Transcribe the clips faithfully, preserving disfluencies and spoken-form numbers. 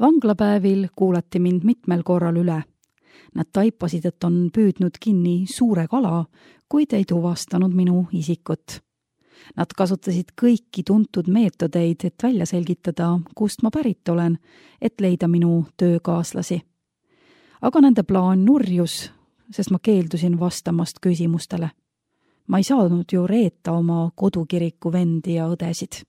Vanglapäevil kuulati mind mitmel korral üle. Nad taipasid, et on püüdnud kinni suure kala, kuid ei tuvastanud minu isikut. Nad kasutasid kõiki tuntud meetodeid, et välja selgitada, kust ma pärit olen, et leida minu töökaaslasi. Aga nende plaan nurjus, sest ma keeldusin vastamast küsimustele. Ma ei saanud ju reeta oma kodukiriku vendi ja õdesid.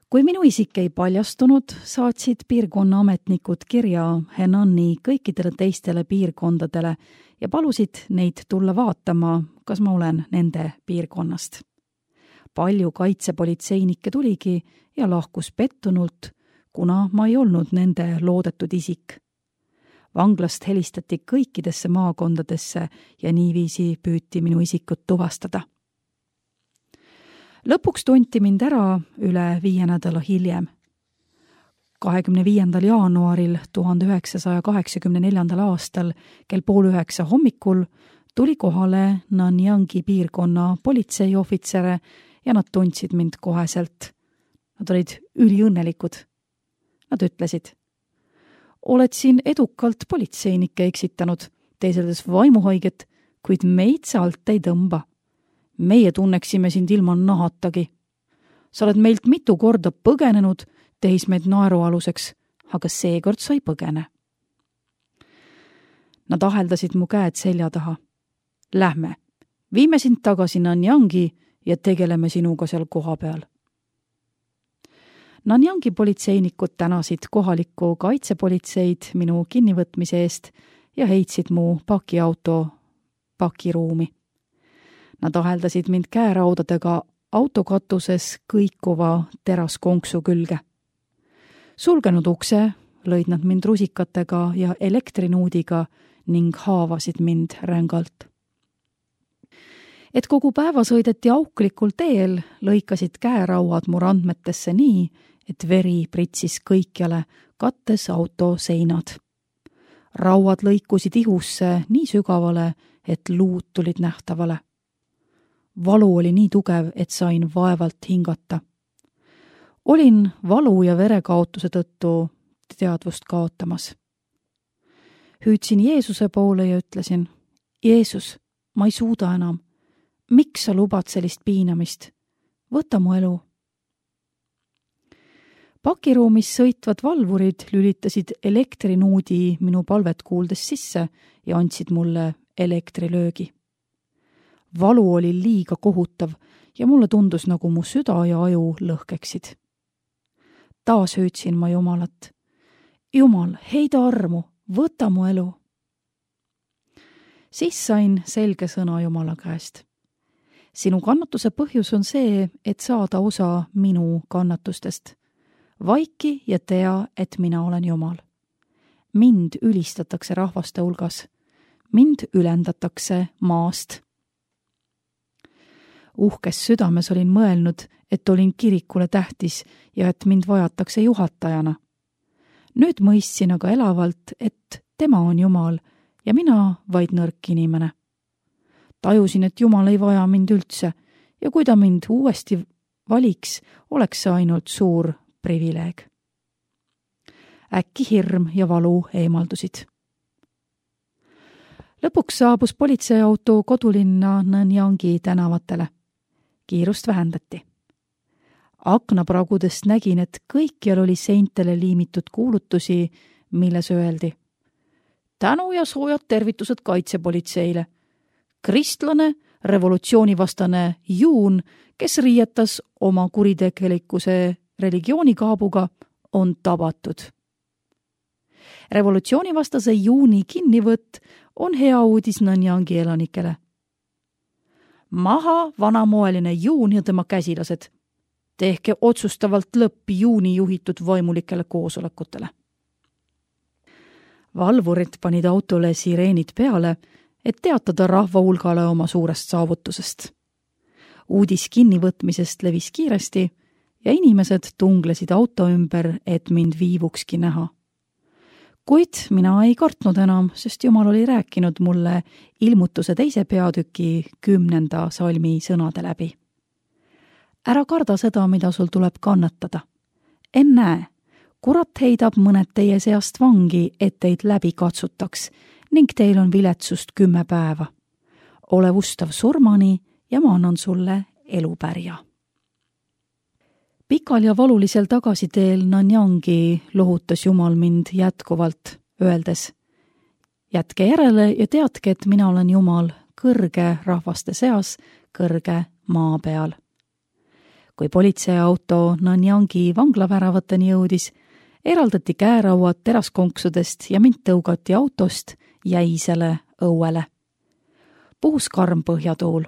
Kui minu isik ei paljastunud, saatsid piirkonna ametnikud kirja Henani kõikidele teistele piirkondadele ja palusid neid tulla vaatama, kas ma olen nende piirkonnast. Palju kaitsepolitseinikke tuligi ja lahkus pettunult, kuna ma ei olnud nende loodetud isik. Vanglast helistati kõikidesse maakondadesse ja niiviisi püüti minu isikut tuvastada. Lõpuks tunti mind ära üle viie nädala hiljem. kahekümne viiendal jaanuaril tuhande üheksasaja kaheksakümne neljandal aastal kell pool üheksa hommikul tuli kohale Nanyangi piirkonna politseiohvitsere ja nad tundsid mind koheselt. Nad olid üliõnnelikud. Nad ütlesid: oled siin edukalt politseinikke eksitanud, teeseldes vaimuhaiget, kuid meid sa alt ei tõmba. Meie tunneksime sind ilma nahatagi. Sa oled meilt mitu korda põgenenud, tehis meid naerualuseks, aga seekord sa ei põgene. Nad aheldasid mu käed selja taha. Lähme, viime sind tagasi Nanyangi ja tegeleme sinuga seal koha peal. Nanyangi politseinikud tänasid kohalikku kaitsepolitseid minu kinnivõtmise eest ja heitsid mu pakiauto pakiruumi. Nad aheldasid mind käeraudadega autokatuses kõikuva teraskonksu külge. Sulgenud ukse lõid nad mind rusikatega ja elektrinuudiga ning haavasid mind rängalt. Et kogu päeva sõideti auklikul teel, lõikasid käerauad mu randmetesse nii, et veri pritsis kõikjale, kattes auto seinad. Rauad lõikusid ihusse nii sügavale, et luud tulid nähtavale. Valu oli nii tugev, et sain vaevalt hingata. Olin valu ja verekaotuse tõttu teadvust kaotamas. Hüüdsin Jeesuse poole ja ütlesin: Jeesus, ma ei suuda enam. Miks sa lubad sellist piinamist? Võta mu elu. Pakiruumis sõitvad valvurid lülitasid elektrinuudi minu palvet kuuldes sisse ja andsid mulle elektrilöögi. Valu oli liiga kohutav ja mulle tundus, nagu mu süda ja aju lõhkeksid. Taas hüüdsin ma Jumalat: Jumal, heida armu, võta mu elu. Siis sain selge sõna Jumala käest. Sinu kannatuse põhjus on see, et saada osa minu kannatustest. Vaiki ja tea, et mina olen Jumal. Mind ülistatakse rahvaste hulgas. Mind ülendatakse maast. Uhkes südames olin mõelnud, et olin kirikule tähtis ja et mind vajatakse juhatajana. Nüüd mõistsin aga elavalt, et tema on Jumal ja mina vaid nõrk inimene. Tajusin, et Jumal ei vaja mind üldse ja kui ta mind uuesti valiks, oleks see ainult suur privileeg. Äkki hirm ja valu eemaldusid. Lõpuks saabus politseiauto kodulinna Nanyangi tänavatele. Kiirust vähendati. Aknapragudest nägin, et kõikjal oli seintele liimitud kuulutusi, milles öeldi: tänu ja soojad tervitused kaitsepolitseile. Kristlane, revolutsioonivastane Juun, kes riietas oma kuritegelikkuse religioonikaabuga, on tabatud. Revolutsioonivastase Juuni kinnivõtt on hea uudis Nanyangi elanikele. Maha vanamoeline Juun ja tema käsilased. Tehke otsustavalt lõppi Juuni juhitud vaimulikele koosolekutele. Valvurid panid autole sireenid peale, et teatada rahva hulgale oma suurest saavutusest. Uudis kinnivõtmisest levis kiiresti ja inimesed tunglesid auto ümber, et mind viivukski näha. Kuid mina ei kartnud enam, sest Jumal oli rääkinud mulle ilmutuse teise peatüki kümnenda salmi sõnade läbi. Ära karda seda, mida sul tuleb kannatada. Ennäe, kurat heidab mõned teie seast vangi, et teid läbi katsutaks ning teil on viletsust kümme päeva. Ole ustav surmani ja ma annan sulle elupärja. Pikal ja valulisel tagasiteel Nanyangi lohutas Jumal mind jätkuvalt, öeldes: jätke järele ja teadke, et mina olen Jumal, kõrge rahvaste seas, kõrge maa peal. Kui politseiauto Nanyangi vanglaväravateni jõudis, eraldati käerauad teraskonksudest ja mind tõugati autost jäisele õuele. Puhus karm põhjatuul.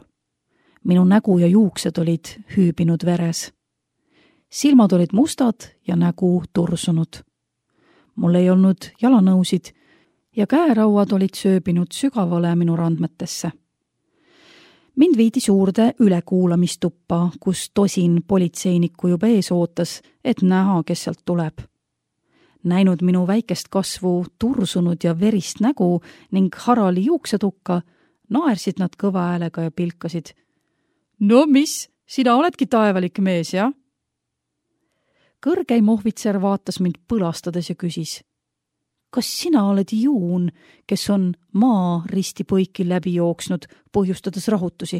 Minu nägu ja juuksed olid hüübinud veres. Silmad olid mustad ja nägu tursunud. Mul ei olnud jalanõusid ja käerauad olid sööbinud sügavale minu randmetesse. Mind viidi suurde ülekuulamistuppa, kus tosin politseinikku juba ees ootas, et näha, kes sealt tuleb. Näinud minu väikest kasvu, tursunud ja verist nägu ning harali juuksetukka, naersid nad kõva häälega ja pilkasid. No mis, sina oledki taevalik mees, jah? Kõrgeim ohvitser vaatas mind põlastades ja küsis: kas sina oled Juun, kes on maa risti põiki läbi jooksnud, põhjustades rahutusi?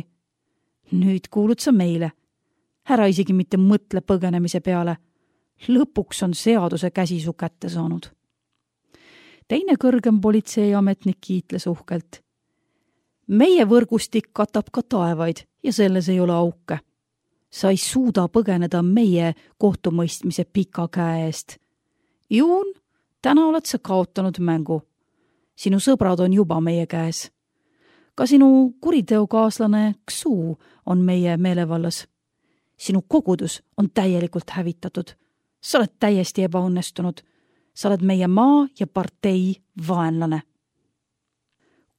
Nüüd kuulud sa meile. Ära isegi mitte mõtle põgenemise peale. Lõpuks on seaduse käsi su kätte saanud. Teine kõrgem politseiametnik kiitles uhkelt. Meie võrgustik katab ka taevaid ja selles ei ole auke. Sa ei suuda põgeneda meie kohtumõistmise pika käe eest. Juun, täna oled sa kaotanud mängu. Sinu sõbrad on juba meie käes. Ka sinu kuriteokaaslane Xu on meie meelevallas. Sinu kogudus on täielikult hävitatud. Sa oled täiesti ebaõnnestunud. Sa oled meie maa ja partei vaenlane.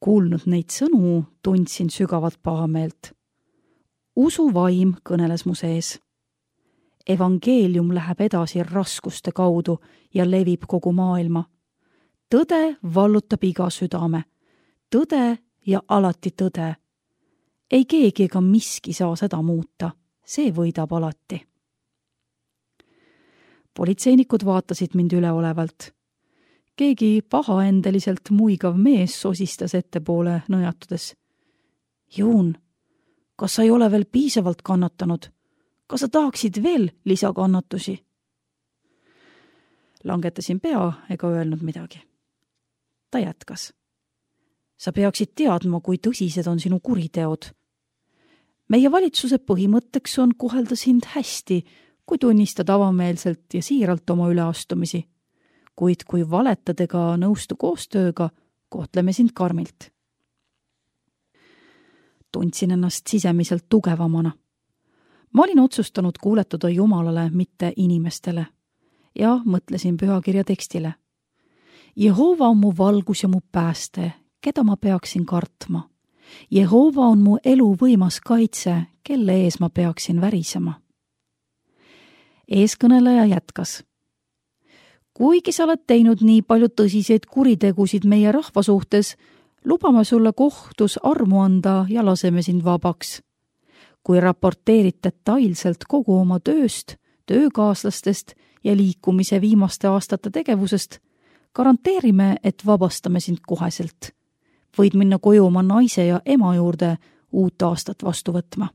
Kuulnud neid sõnu, tundsin sügavat pahameelt. Usu vaim kõneles mu sees. Evangeelium läheb edasi raskuste kaudu ja levib kogu maailma. Tõde vallutab iga südame. Tõde ja alati tõde. Ei keegi ega miski saa seda muuta. See võidab alati. Politseinikud vaatasid mind üleolevalt. Keegi pahaendeliselt muigav mees sosistas ettepoole nõjatudes. Juun, kas sa ei ole veel piisavalt kannatanud? Kas sa tahaksid veel lisakannatusi? Langetasin pea ega öelnud midagi. Ta jätkas. Sa peaksid teadma, kui tõsised on sinu kuriteod. Meie valitsuse põhimõtteks on kohelda sind hästi, kui tunnistad avameelselt ja siiralt oma üleastumisi. Kuid kui valetad ega nõustu koostööga, kohtleme sind karmilt. Tundsin ennast sisemiselt tugevamana. Ma olin otsustanud kuuletuda Jumalale, mitte inimestele, ja mõtlesin pühakirja tekstile. Jehova on mu valgus ja mu pääste, keda ma peaksin kartma. Jehova on mu elu võimas kaitse, kelle ees ma peaksin värisema. Eeskõneleja jätkas. Kuigi sa oled teinud nii palju tõsiseid kuritegusid meie rahva suhtes, lubame sulle kohtus armu anda ja laseme sind vabaks. Kui raporteerid detailselt kogu oma tööst, töökaaslastest ja liikumise viimaste aastate tegevusest, garanteerime, et vabastame sind koheselt. Võid minna koju oma naise ja ema juurde uut aastat vastu võtma.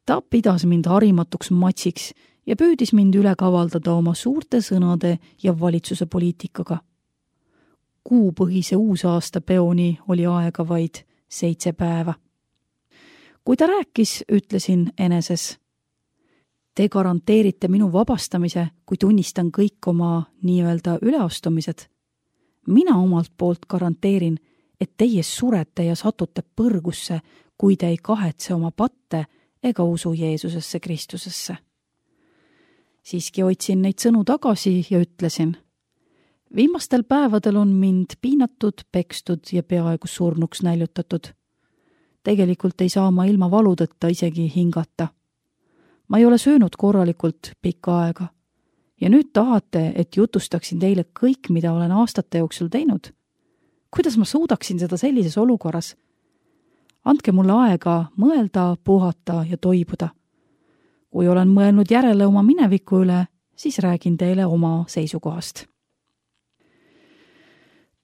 Ta pidas mind harimatuks matsiks ja püüdis mind üle kavaldada oma suurte sõnade ja valitsuse poliitikaga. Kuupõhise uusaasta peoni oli aega vaid seitse päeva. Kui ta rääkis, ütlesin eneses. Te garanteerite minu vabastamise, kui tunnistan kõik oma nii-öelda üleastumised. Mina omalt poolt garanteerin, et teie surete ja satute põrgusse, kui te ei kahetse oma patte ega usu Jeesusesse Kristusesse. Siiski hoidsin neid sõnu tagasi ja ütlesin. Viimastel päevadel on mind piinatud, pekstud ja peaaegu surnuks näljutatud. Tegelikult ei saa ma ilma valudeta isegi hingata. Ma ei ole söönud korralikult pikka aega. Ja nüüd tahate, et jutustaksin teile kõik, mida olen aastate jooksul teinud. Kuidas ma suudaksin seda sellises olukorras? Andke mulle aega mõelda, puhata ja toibuda. Kui olen mõelnud järele oma mineviku üle, siis räägin teile oma seisukohast.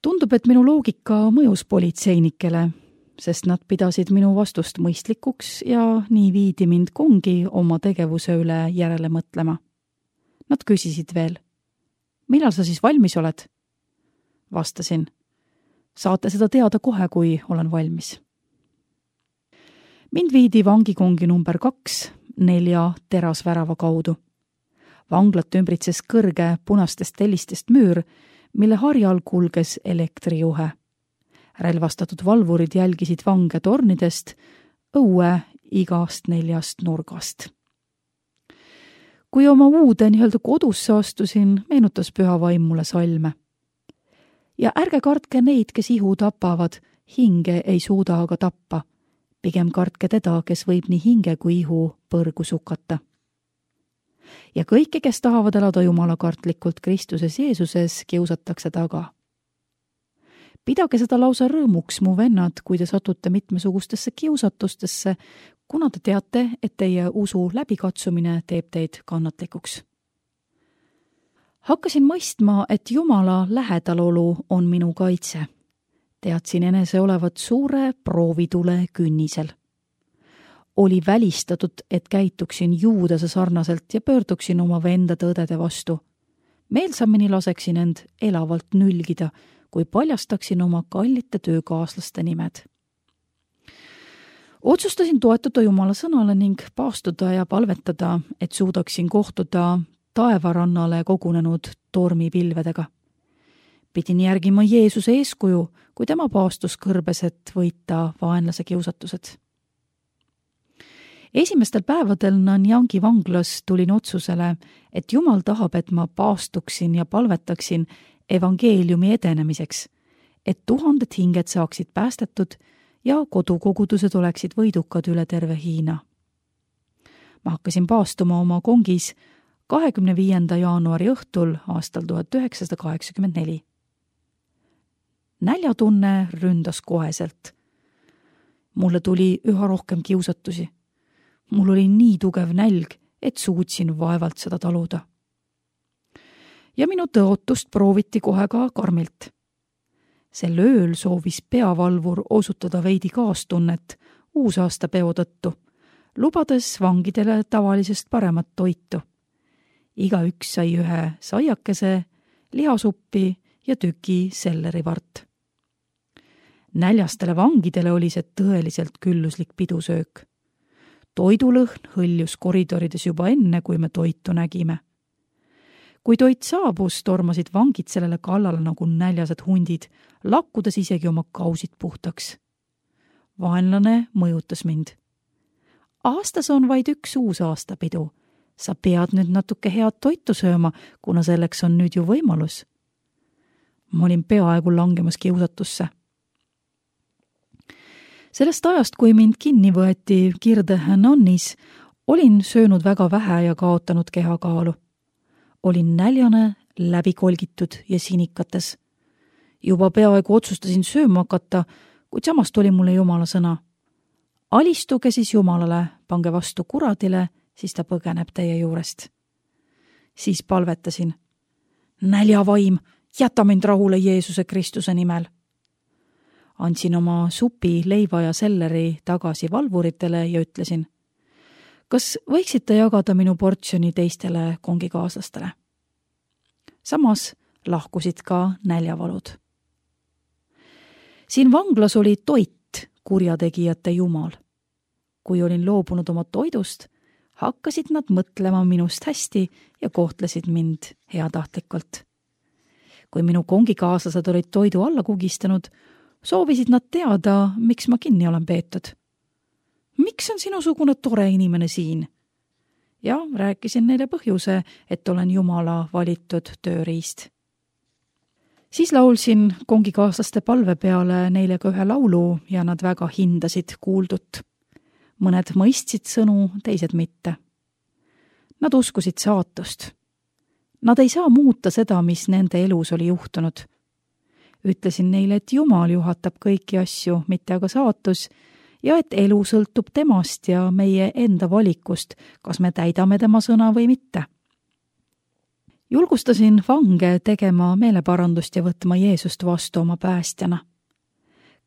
Tundub, et minu loogika mõjus politseinikele, sest nad pidasid minu vastust mõistlikuks ja nii viidi mind kongi oma tegevuse üle järele mõtlema. Nad küsisid veel, millal sa siis valmis oled? Vastasin, saate seda teada kohe, kui olen valmis. Mind viidi vangikongi number kaks nelja terasvärava kaudu. Vanglat ümbritses kõrge punastest tellistest müür, mille harjal kulges elektrijuhe. Relvastatud valvurid jälgisid vange tornidest, õue igast neljast nurgast. Kui oma uude nii-öelda kodusse astusin, meenutas püha vaim mulle salme. Ja ärge kartke neid, kes ihu tapavad, hinge ei suuda aga tappa. Pigem kartke teda, kes võib nii hinge kui ihu põrgu sukata. Ja kõike, kes tahavad elada jumalakartlikult Kristuses Jeesuses, kiusatakse taga. Pidage seda lausa rõõmuks, mu vennad, kui te satute mitmesugustesse kiusatustesse, kuna te teate, et teie usu läbikatsumine teeb teid kannatlikuks. Hakkasin mõistma, et Jumala lähedalolu on minu kaitse. Teadsin enese olevat suure proovitule künnisel. Oli välistatud, et käituksin juudase sarnaselt ja pöörduksin oma vendade õdede vastu. Meelsamini laseksin end elavalt nülgida, kui paljastaksin oma kallite töökaaslaste nimed. Otsustasin toetuda Jumala sõnale ning paastuda ja palvetada, et suudaksin kohtuda taevarannale kogunenud tormipilvedega. Pidin järgima Jeesuse eeskuju, kui tema paastus kõrbes, et võita vaenlase kiusatused. Esimestel päevadel Nanjangi vanglas tulin otsusele, et Jumal tahab, et ma paastuksin ja palvetaksin evangeeliumi edenemiseks, et tuhanded hinged saaksid päästetud ja kodukogudused oleksid võidukad üle terve Hiina. Ma hakkasin paastuma oma kongis kahekümne viienda jaanuari õhtul aastal tuhat üheksasada kaheksakümmend neli. Näljatunne ründas koheselt. Mulle tuli üha rohkem kiusatusi. Mul oli nii tugev nälg, et suutsin vaevalt seda taluda. Ja minu tõotust prooviti kohe ka karmilt. Sel ööl soovis peavalvur osutada veidi kaastunnet uusaastapeo tõttu, lubades vangidele tavalisest paremat toitu. Igaüks sai ühe saiakese, lihasuppi ja tüki sellerivart. Näljastele vangidele oli see tõeliselt külluslik pidusöök. Toidulõhn hõljus koridorides juba enne, kui me toitu nägime. Kui toit saabus, tormasid vangid sellele kallale nagu näljased hundid, lakkudes isegi oma kausid puhtaks. Vaenlane mõjutas mind. Aastas on vaid üks uus aastapidu. Sa pead nüüd natuke head toitu sööma, kuna selleks on nüüd ju võimalus. Ma olin peaaegu langemas kiusatusse. Sellest ajast, kui mind kinni võeti Kirde Hanannis, olin söönud väga vähe ja kaotanud kehakaalu. Olin näljane, läbikolgitud ja sinikates. Juba peaaegu otsustasin sööma hakata, kuid samast oli mulle Jumala sõna. Alistuge siis Jumalale, pange vastu kuradile, siis ta põgeneb teie juurest. Siis palvetasin. Näljavaim, jäta mind rahule Jeesuse Kristuse nimel. Andsin oma supi, leiva ja selleri tagasi valvuritele ja ütlesin, kas võiksite jagada minu portsjoni teistele kongikaaslastele? Samas lahkusid ka näljavalud. Siin vanglas oli toit kurjategijate jumal. Kui olin loobunud oma toidust, hakkasid nad mõtlema minust hästi ja kohtlesid mind heatahtlikult. Kui minu kongikaaslased olid toidu alla kugistanud, soovisid nad teada, miks ma kinni olen peetud. Miks on sinusugune tore inimene siin? Ja rääkisin neile põhjuse, et olen Jumala valitud tööriist. Siis laulsin kongikaaslaste palve peale neile ka ühe laulu ja nad väga hindasid kuuldut. Mõned mõistsid sõnu, teised mitte. Nad uskusid saatust. Nad ei saa muuta seda, mis nende elus oli juhtunud. Ütlesin neile, et Jumal juhatab kõiki asju, mitte aga saatus, ja et elu sõltub temast ja meie enda valikust, kas me täidame tema sõna või mitte. julgustasin vange tegema meeleparandust ja võtma Jeesust vastu oma päästjana.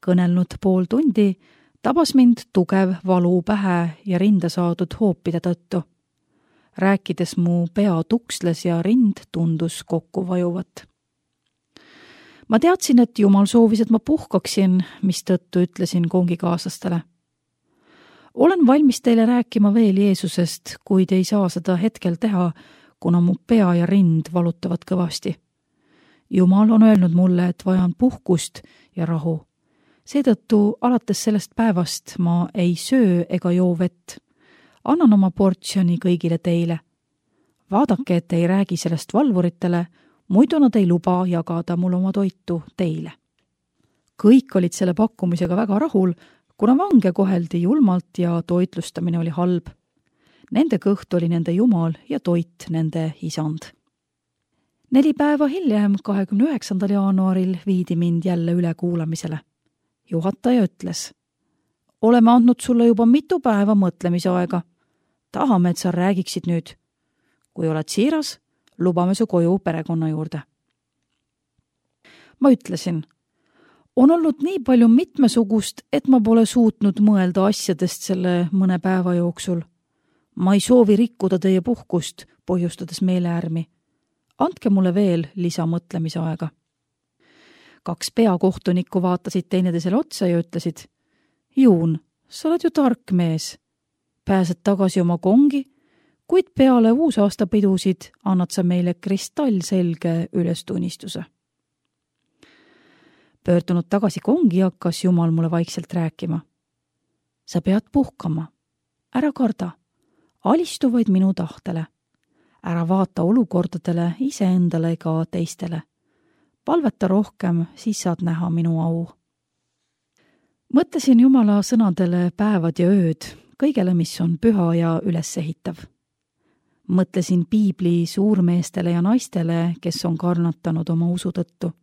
Kõnelnud pool tundi tabas mind tugev valu pähe ja rinda saadud hoopide tõttu. Rääkides mu pea tuksles ja rind tundus kokku vajuvat. Ma teadsin, et Jumal soovis, et ma puhkaksin, mis tõttu ütlesin kongikaaslastele. Olen valmis teile rääkima veel Jeesusest, kuid ei saa seda hetkel teha, kuna mu pea ja rind valutavad kõvasti. Jumal on öelnud mulle, et vajan puhkust ja rahu. Seetõttu alates sellest päevast ma ei söö ega joo vett. Annan oma portsjoni kõigile teile. Vaadake, et ei räägi sellest valvuritele, muidu nad ei luba jagada mul oma toitu teile. Kõik olid selle pakkumisega väga rahul, kuna vange koheldi julmalt ja toitlustamine oli halb. Nende kõht oli nende Jumal ja toit nende isand. Neli päeva hiljem, kahekümne üheksandal jaanuaril, viidi mind jälle üle kuulamisele. Juhataja ütles, oleme andnud sulle juba mitu päeva mõtlemise aega. Tahame, et sa räägiksid nüüd. Kui oled siiras, lubame su koju perekonna juurde. Ma ütlesin, on olnud nii palju mitmesugust, et ma pole suutnud mõelda asjadest selle mõne päeva jooksul. Ma ei soovi rikkuda teie puhkust, põhjustades meeleärmi. Andke mulle veel lisamõtlemise aega. Kaks peakohtunikku vaatasid teineteisele otsa ja ütlesid, Juun, sa oled ju tark mees. Pääsed tagasi oma kongi, kuid peale uusaastapidusid annad sa meile kristallselge ülestunnistuse. Pöördunud tagasi kongi hakkas Jumal mulle vaikselt rääkima. Sa pead puhkama. Ära karda. Alistu vaid minu tahtele. Ära vaata olukordadele iseendale ega teistele. Palveta rohkem, siis saad näha minu au. Mõtlesin Jumala sõnadele päevad ja ööd, kõigele, mis on püha ja ülesehitav. Mõtlesin piibli suurmeestele ja naistele, kes on kannatanud oma usu tõttu.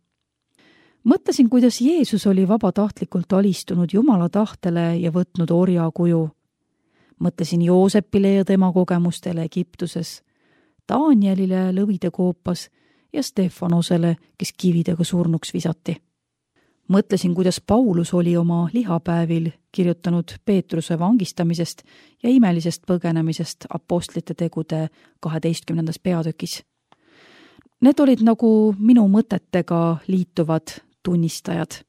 Mõtlesin, kuidas Jeesus oli vabatahtlikult alistunud Jumala tahtele ja võtnud orja kuju. Mõtlesin Joosepile ja tema kogemustele Egiptuses, Danielile lõvide koopas ja Stefanosele, kes kividega surnuks visati. Mõtlesin, kuidas Paulus oli oma lihapäevil kirjutanud Peetruse vangistamisest ja imelisest põgenemisest apostlite tegude kaheteistkümnendas peatükis. Need olid nagu minu mõtetega liituvad tunnistajad.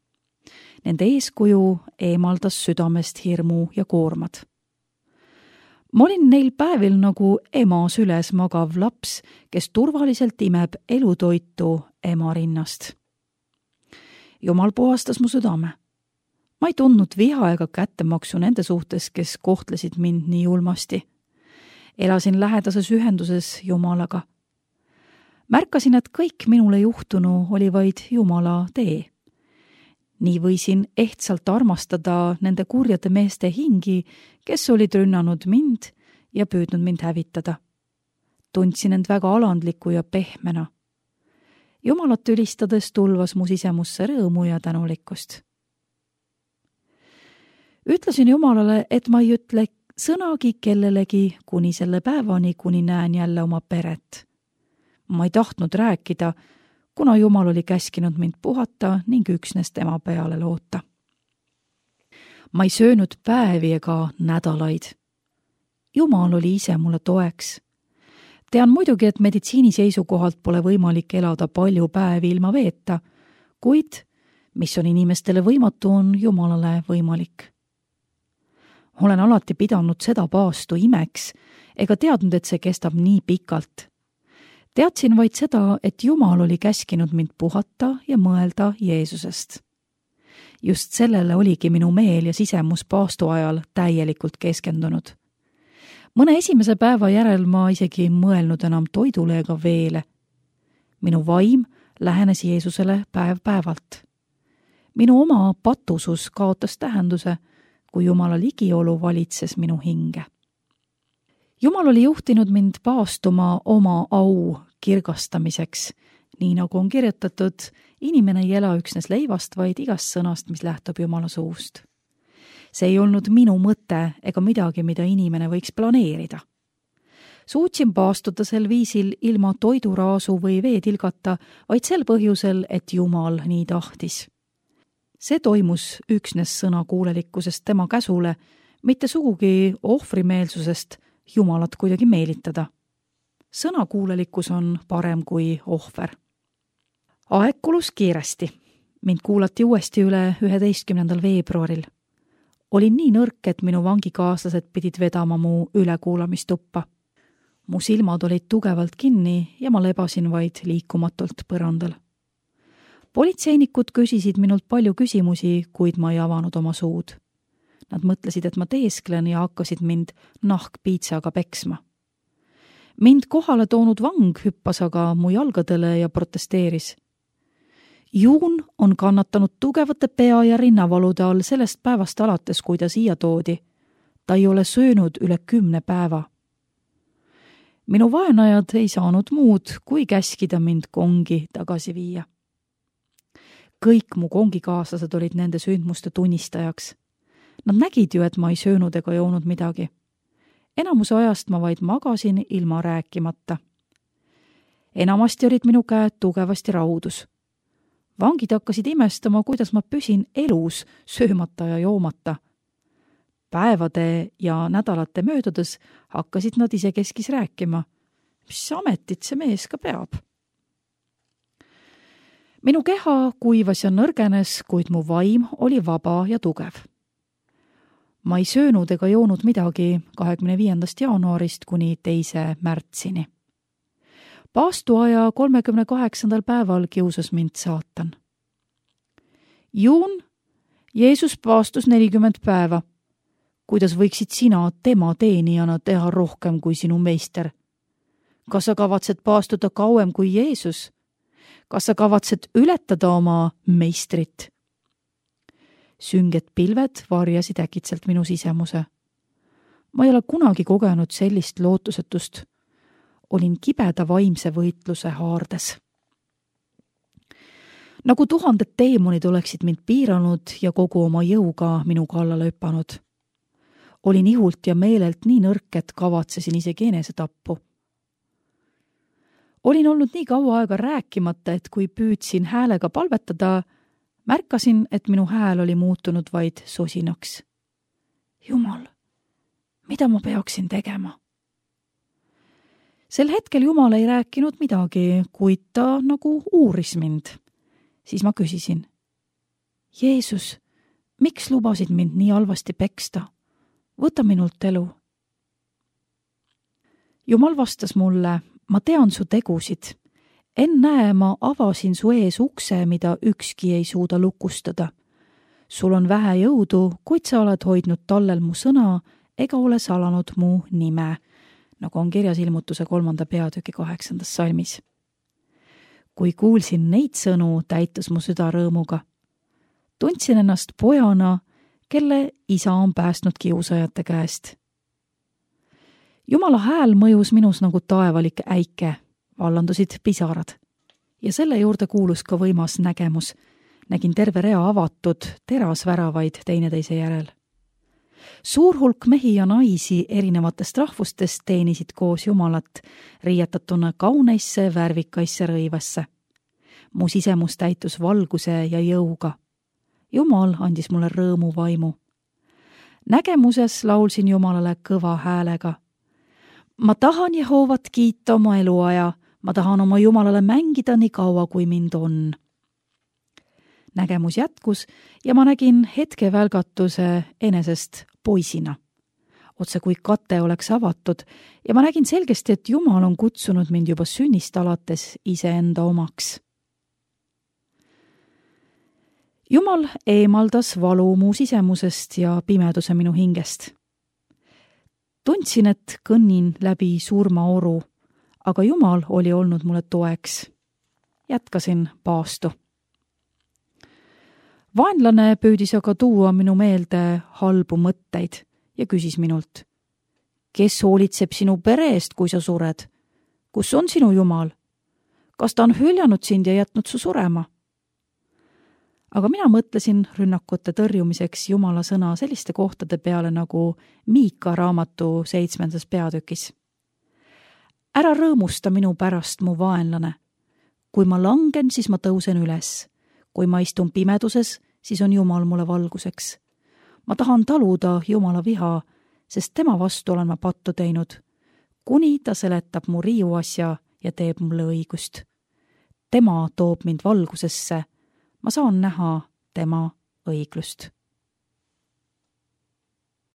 Nende eeskuju eemaldas südamest hirmu ja koormad. Ma olin neil päevil nagu ema süles magav laps, kes turvaliselt imeb elutoitu ema rinnast. Jumal puhastas mu südame. Ma ei tundnud viha ega kättemaksu nende suhtes, kes kohtlesid mind nii julmasti. Elasin lähedases ühenduses Jumalaga. Märkasin, et kõik minule juhtunu oli vaid Jumala tee. Nii võisin ehtsalt armastada nende kurjade meeste hingi, kes olid rünnanud mind ja püüdnud mind hävitada. Tundsin end väga alandliku ja pehmena. Jumalat ülistades tulvas mu sisemusse rõõmu ja tänulikkust. Ütlesin Jumalale, et ma ei ütle sõnagi kellelegi kuni selle päevani, kuni näen jälle oma peret. Ma ei tahtnud rääkida, kuna Jumal oli käskinud mind puhata ning üksnes tema peale loota. Ma ei söönud päevi ega nädalaid. Jumal oli ise mulle toeks. Tean muidugi, et meditsiini seisukohalt pole võimalik elada palju päevi ilma veeta, kuid mis on inimestele võimatu, on Jumalale võimalik. Olen alati pidanud seda paastu imeks ega teadnud, et see kestab nii pikalt. Teadsin vaid seda, et Jumal oli käskinud mind puhata ja mõelda Jeesusest. Just sellele oligi minu meel ja sisemus paastu ajal täielikult keskendunud. Mõne esimese päeva järel ma isegi mõelnud enam toidule ega veele. Minu vaim lähenes Jeesusele päev päevalt. Minu oma patusus kaotas tähenduse, kui Jumala ligiolu valitses minu hinge. Jumal oli juhtinud mind paastuma oma au kirgastamiseks, nii nagu on kirjutatud, inimene ei ela üksnes leivast, vaid igast sõnast, mis lähtub Jumala suust. See ei olnud minu mõte ega midagi, mida inimene võiks planeerida. Suutsin paastuda sel viisil ilma toiduraasu või veetilgata, vaid sel põhjusel, et Jumal nii tahtis. See toimus üksnes sõnakuulelikkusest tema käsule, mitte sugugi ohvrimeelsusest Jumalat kuidagi meelitada. Sõnakuulelikkus on parem kui ohver. Aeg kulus kiiresti. Mind kuulati uuesti üle üheteistkümnendal veebruaril. Olin nii nõrk, et minu vangikaaslased pidid vedama mu ülekuulamistuppa. Mu silmad olid tugevalt kinni ja ma lebasin vaid liikumatult põrandal. Politseinikud küsisid minult palju küsimusi, kuid ma ei avanud oma suud. Nad mõtlesid, et ma teesklen ja hakkasid mind nahkpiitsaga peksma. Mind kohale toonud vang hüppas aga mu jalgadele ja protesteeris. Juun on kannatanud tugevate pea- ja rinnavalude all sellest päevast alates, kui ta siia toodi. Ta ei ole söönud üle kümne päeva. Minu vaenajad ei saanud muud, kui käskida mind kongi tagasi viia. Kõik mu kongikaaslased olid nende sündmuste tunnistajaks. Nad nägid ju, et ma ei söönud ega joonud midagi. Enamuse ajast ma vaid magasin ilma rääkimata. Enamasti olid minu käed tugevasti raudus. Vangid hakkasid imestama, kuidas ma püsin elus, söömata ja joomata. Päevade ja nädalate möödudes hakkasid nad isekeskis rääkima. Mis ametit see mees ka peab? Minu keha kuivas ja nõrgenes, kuid mu vaim oli vaba ja tugev. Ma ei söönud ega joonud midagi kahekümne viiendast jaanuarist kuni teise märtsini. Paastuaja kolmekümne kaheksandal päeval kiusas mind saatan. Juun, Jeesus paastus nelikümmend päeva. Kuidas võiksid sina tema teenijana teha rohkem kui sinu meister? Kas sa kavatsed paastuda kauem kui Jeesus? Kas sa kavatsed ületada oma meistrit? Sünged pilved varjasid äkitselt minu sisemuse. Ma ei ole kunagi kogenud sellist lootusetust. Olin kibeda vaimse võitluse haardes. Nagu tuhanded teemonid oleksid mind piiranud ja kogu oma jõuga minu kallale hüpanud. Olin ihult ja meelelt nii nõrk, et kavatsesin isegi enesetappu. Olin olnud nii kaua aega rääkimata, et kui püüdsin häälega palvetada, märkasin, et minu hääl oli muutunud vaid sosinaks. Jumal, mida ma peaksin tegema? Sel hetkel Jumal ei rääkinud midagi, kuid ta nagu uuris mind. Siis ma küsisin, Jeesus, miks lubasid mind nii halvasti peksta? Võta minult elu. Jumal vastas mulle, ma tean su tegusid. Ennäe, ma avasin su ees ukse, mida ükski ei suuda lukustada. Sul on vähe jõudu, kuid sa oled hoidnud tallel mu sõna ega ole salanud mu nime, nagu on kirjas Ilmutuse kolmanda peatüki kaheksandas salmis. Kui kuulsin neid sõnu, täitus mu süda rõõmuga. Tundsin ennast pojana, kelle isa on päästnud kiusajate käest. Jumala hääl mõjus minus nagu taevalik äike, vallandusid pisarad. Ja selle juurde kuulus ka võimas nägemus. Nägin terve rea avatud terasväravaid teineteise järel. Suur hulk mehi ja naisi erinevatest rahvustest teenisid koos Jumalat, riietatuna kauneisse värvikaisse rõivasse. Mu sisemus täitus valguse ja jõuga. Jumal andis mulle rõõmu vaimu. Nägemuses laulsin Jumalale kõva häälega. Ma tahan Jehoovat kiita oma eluaja, ma tahan oma Jumalale mängida nii kaua, kui mind on. Nägemus jätkus ja ma nägin hetke välgatuse enesest poisina. Otse kui kate oleks avatud ja ma nägin selgesti, et Jumal on kutsunud mind juba sünnist alates iseenda omaks. Jumal eemaldas valu mu sisemusest ja pimeduse minu hingest. Tundsin, et kõnnin läbi surmaoru, aga Jumal oli olnud mulle toeks. Jätkasin paastu. Vaenlane püüdis aga tuua minu meelde halbu mõtteid ja küsis minult, kes hoolitseb sinu pere eest, kui sa sured? Kus on sinu Jumal? Kas ta on hüljanud sind ja jätnud su surema? Aga mina mõtlesin rünnakute tõrjumiseks Jumala sõna selliste kohtade peale nagu Miika raamatu seitsmendas peatükis. ära rõõmusta minu pärast, mu vaenlane. Kui ma langen, siis ma tõusen üles. Kui ma istun pimeduses, siis on Jumal mulle valguseks. Ma tahan taluda Jumala viha, sest tema vastu olen ma pattu teinud, kuni ta seletab mu riiuasja ja teeb mulle õigust. Tema toob mind valgusesse, ma saan näha tema õiglust.